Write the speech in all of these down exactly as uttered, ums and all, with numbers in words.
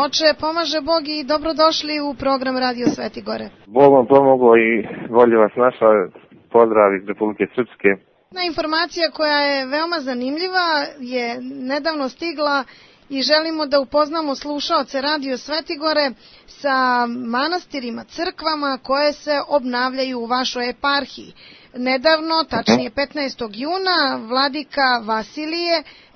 Oče, pomaže Bog i dobrodošli u program Radio Sveti Gore. Bog vam pomogao i volje vas naša, pozdrav iz Republike Srpske. Na informacija koja je veoma zanimljiva je nedavno stigla i želimo da upoznamo slušaoce Radio Sveti Gore sa manastirima, crkvama koje se obnavljaju u vašoj eparhiji. Nedavno, tačnije petnaestog juna, vladika Vasilije,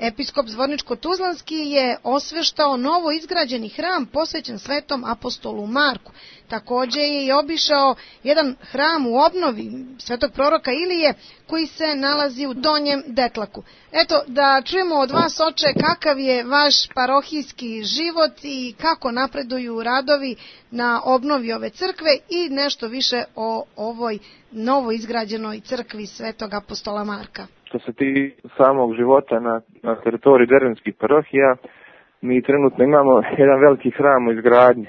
episkop Zvorničko-Tuzlanski, je osveštao novo izgrađeni hram posvećen svetom apostolu Marku. Takođe je i obišao jedan hram u obnovi svetog proroka Ilije koji se nalazi u Donjem Detlaku. Eto, da čujemo od vas, oče, kakav je vaš parohijski život i kako napreduju radovi na obnovi ove crkve i nešto više o ovoj novo izgrađenoj crkvi svetog apostola Marka. Što se tiče samog života na, na teritoriji dervenskih parohija, mi trenutno imamo jedan veliki hram u izgradnji.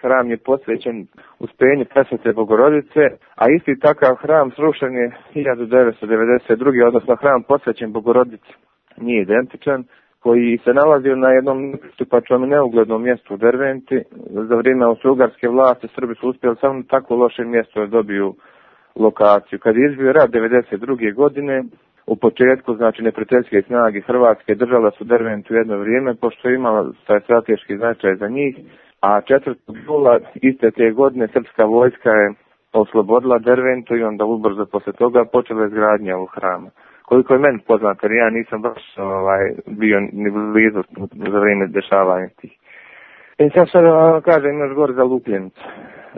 Hram je posvećen uspenju Presvete Bogorodice, a isti takav hram srušen je hiljadu devetsto devedeset druge. odnosno hram posvećen Bogorodici nije identičan, koji se nalazio na jednom nepristupačnom i neuglednom mjestu u Derventi. Za vrijeme austrougarske vlasti Srbi su uspjeli samo na tako loše mjesto da dobiju lokaciju. Kad je izbio rat devedeset druge. godine, u početku, znači neprijateljske snage Hrvatske držala su Derventu jedno vrijeme, pošto je imala taj strateški značaj za njih, a četvrtog jula iste te godine srpska vojska je oslobodila Derventu i onda ubrzo posle toga počela izgradnja ovog hrama. Koliko je meni poznato, jer ja nisam baš ovaj, bio ni blizu za vrijeme dešavanja tih. I sad sad vam kažem još gore za Lupljenicu.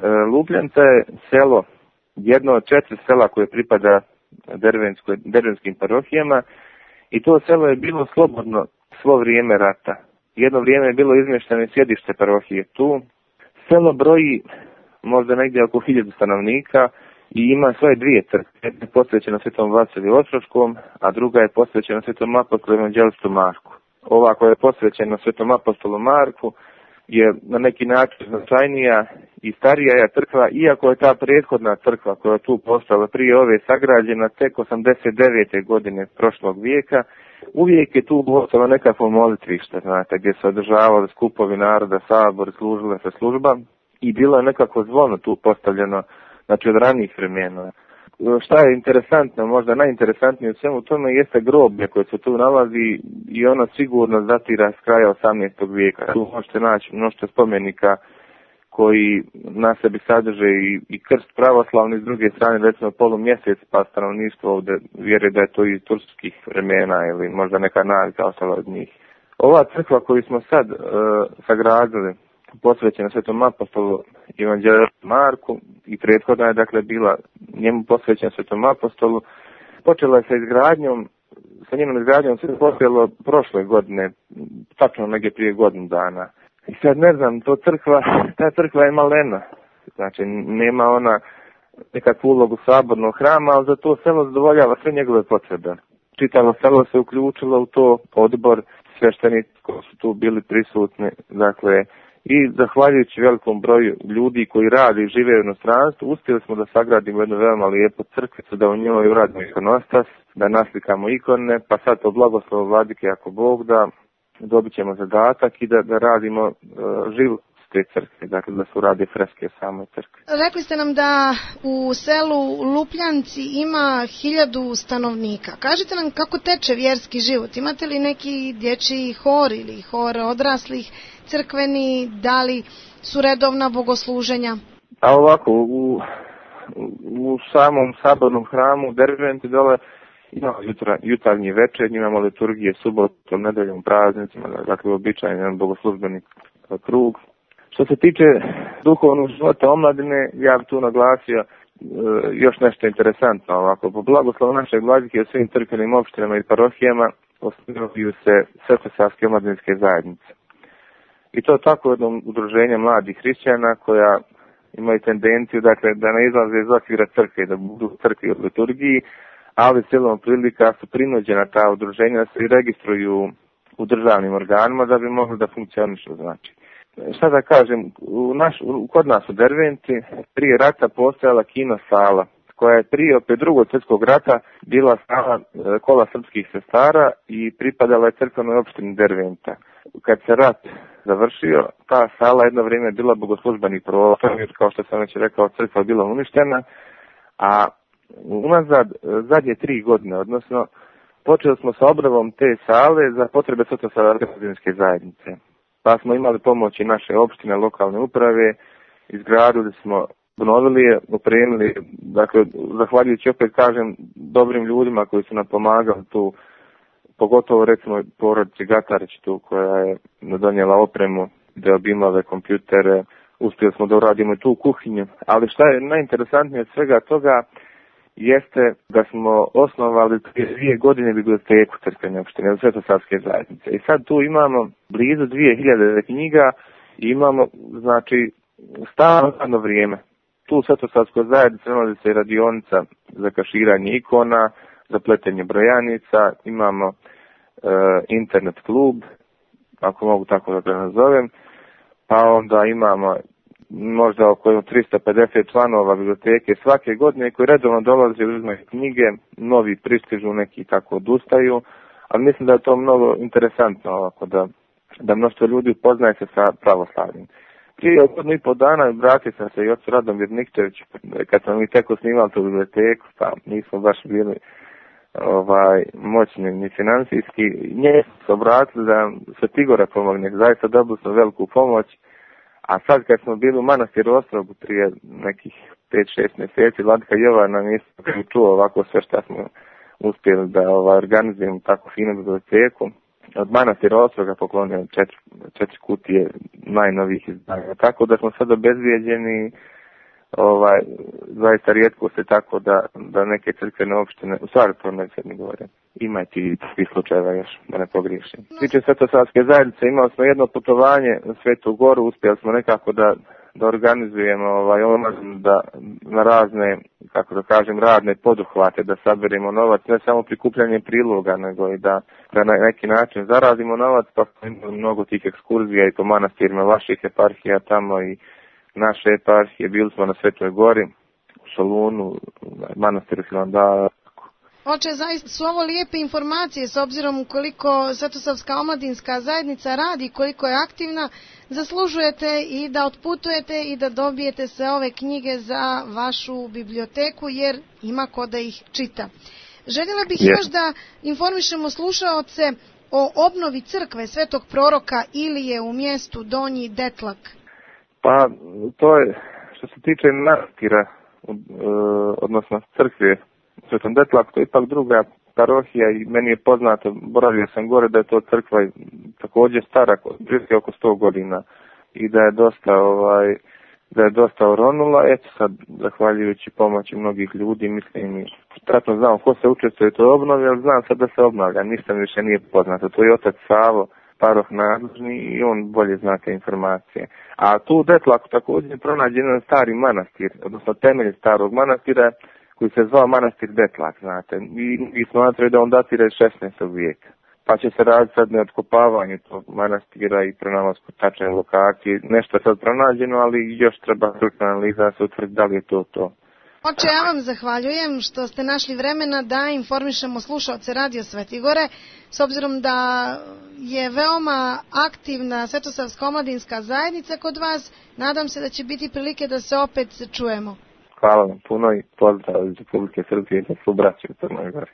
E, Lupljenica je selo, jedno od četiri sela koje pripada dervenskim parohijama, i to selo je bilo slobodno svo vrijeme rata. Jedno vrijeme je bilo izmješteno sjedište parohije tu. Selo broji možda negdje oko hiljadu stanovnika i ima svoje dvije crkve. Jedna je posvećena svetom Vasiliju Ostroškom, a druga je posvećena svetom apostolu evanđelistu Marku. Ova koja je posvećena svetom apostolu Marku je na neki način značajnija i starija je crkva, iako je ta prethodna crkva koja je tu postala prije ove sagrađena tek osamdeset devete. godine prošlog vijeka. Uvijek je tu postalo nekakvo molitvište, znate, gdje se održavali skupovi naroda, sabor, služile se služba i bilo je nekako zvono tu postavljeno, znači od ranijih vremena. Šta je interesantno, možda najinteresantnije u svemu tome jeste groblje koje se tu nalazi i ono sigurno datira s kraja osamnaestog vijeka. Tu možete naći mnoštvo spomenika koji na sebi sadrže i, i krst pravoslavni, s druge strane recimo polumjesec, pa stanovništvo ovdje vjeruje da je to iz turskih vremena ili možda neka navika ostala od njih. Ova crkva koju smo sad uh, sagradili, posvećena svetom apostolu evanđelistu Marku i prethodna je dakle bila njemu posvećena svetom apostolu, počela je sa izgradnjom, sa njenom izgradnjom se počelo prošle godine, tačno negdje prije godinu dana. I sad ne znam, to crkva, ta crkva je malena, znači nema ona nekakvu ulogu sabornog hrama, ali za to selo zadovoljava sve njegove potrebe. Čitavo selo se uključilo u to, odbor, sveštenici koji su tu bili prisutni, dakle, i zahvaljujući velikom broju ljudi koji rade i žive u inostranstvu, uspjeli smo da sagradimo jednu veoma lijepu crkvicu, da u njoj uradimo ikonostas, da naslikamo ikone, pa sad po blagoslovu vladike ako Bog da, dobit ćemo zadatak i da, da radimo uh, život te crkve, dakle da se urade freske same crkve. Rekli ste nam da u selu Lupljanci ima hiljadu stanovnika. Kažite nam kako teče vjerski život. Imate li neki dječji hor ili hor odraslih, crkveni, da li su redovna bogosluženja? A ovako, u, u samom sabornom hramu Derventi dole imamo jutra, jutarnji večernji, imamo liturgije subotom, nedeljom, praznicima, dakle običajan bogoslužbeni krug. Što se tiče duhovnog života omladine, ja bih tu naglasio e, još nešto interesantno. Ovako, po blagoslovu našeg vladike u svim crkvenim opštinama i parohijama osnivaju se svetosavske omladinske zajednice. I to tako jedno udruženje mladih hrišćana koja imaju tendenciju dakle, da ne izlaze iz okvira crkve, da budu u crkvi od liturgiji, ali silom prilika su prinuđena ta udruženja da se registruju u državnim organima da bi mogli da funkcionišu, znači. Šta da kažem, u naš, u, kod nas u Derventi prije rata postojala kino sala koja je prije opet drugog svjetskog rata bila sala kola srpskih sestara i pripadala je crkvenoj opštini Derventa. Kad se rat završio, ta sala jedno vrijeme je bila bogoslužbeni prostor, kao što sam već rekao, crkva je bila uništena, a unazad zadnje tri godine, odnosno počeli smo sa obnovom te sale za potrebe Svetosavske zajednice. Pa smo imali pomoći naše opštine, lokalne uprave, izgradili smo, obnovili je, opremili, dakle, zahvaljujući opet kažem dobrim ljudima koji su nam pomagali tu, pogotovo recimo porodici Gatarić tu koja je donijela opremu, deobimove, kompjutere, uspjeli smo da uradimo i tu kuhinju, ali šta je najinteresantnije od svega toga jeste da smo osnovali dvije godine biblioteku crkvene opštine Svetosavske zajednice. I sad tu imamo blizu dvije hiljade knjiga i imamo, znači, stalno radno vrijeme. Tu u Svetosavskoj zajednici nalazi se radionica za kaširanje ikona, za pletenje brojanica, imamo e, internet klub, ako mogu tako da ga nazovem, pa onda imamo možda oko tristo pedeset članova biblioteke svake godine koji redovno dolaze i uzmaju knjige, novi pristižu, neki tako odustaju, ali mislim da je to mnogo interesantno ovako da, da mnoštvo ljudi upoznaje se sa pravoslavljem. Prije godinu i po dana vratio sam se i ocu Radomir Nikčević, kad smo mi tek osnivali tu biblioteku, pa nismo baš bili ovaj, moćni ni financijski. Nje su se obratili da se Tigora pomogne, zaista dobili smo veliku pomoć. A sad kad smo bili u Manastiru Ostrogu prije nekih pet šest mjeseci, Vladika Jovana nisam čuo ovako sve što smo uspjeli da ovaj, organizujemo tako finu biblioteku. Od Manastira Ostroga poklonio četiri, četiri kutije najnovijih izdanja. Tako da smo sad obezbijeđeni, ovaj, zaista rijetko se tako da, da neke crkvene opštine, u stvari to ne sad mi govore, ima i ti takvih slučajeva još, da ne pogriješim. Tiče Svetosavske zajednice, imali smo jedno putovanje na Svetu Goru, uspjeli smo nekako da, da organizujemo ovaj, da na razne, kako da kažem, radne poduhvate, da saberemo novac, ne samo prikupljanje priloga, nego i da, da na neki način zaradimo novac, pa smo imali mnogo tih ekskurzija i po manastirima vaših eparhija tamo i naše eparhije, bili smo na Svetoj Gori, u Solunu, manastiru Hilandara. Oče, zaista su ovo lijepe informacije s obzirom koliko Svetosavska omladinska zajednica radi, koliko je aktivna, zaslužujete i da otputujete i da dobijete sve ove knjige za vašu biblioteku jer ima ko da ih čita. Željela bih yes. još da informišemo slušaoce o obnovi crkve Svetog proroka Ilije u mjestu Donji Detlak. Pa to je što se tiče manastira, odnosno crkve Svetom Detlaku, to je ipak druga parohija i meni je poznato, boravio sam gore da je to crkva također stara, oko sto godina i da je dosta ovaj da je dosta oronula. Eto sad, zahvaljujući pomoći mnogih ljudi, mislim i tačno znam ko se učestvuje u toj obnovi, ali znam sad da se obnavlja, ništa mi više nije poznato. To je otac Savo, paroh nadležni i on bolje zna te informacije. A tu u Detlaku također je pronađen jedan stari manastir, odnosno temelj starog manastira koji se zvao manastir Detlak, znate. I, i smatraju da on datira iz šesnaestog vijeka. Pa će se raditi sad na otkopavanje tog manastira i pronalasku tačne lokacije. Nešto je sad pronađeno, ali još treba stručna analiza da se utvrdi da li je to to. Oče, ja vam zahvaljujem što ste našli vremena da informišemo slušaoce Radio Svetigore, s obzirom da je veoma aktivna Svetosavska omladinska zajednica kod vas. Nadam se da će biti prilike da se opet čujemo. Hvala vam puno i pozdrav iz Republike Srbije za svu braću u Crnoj Gori.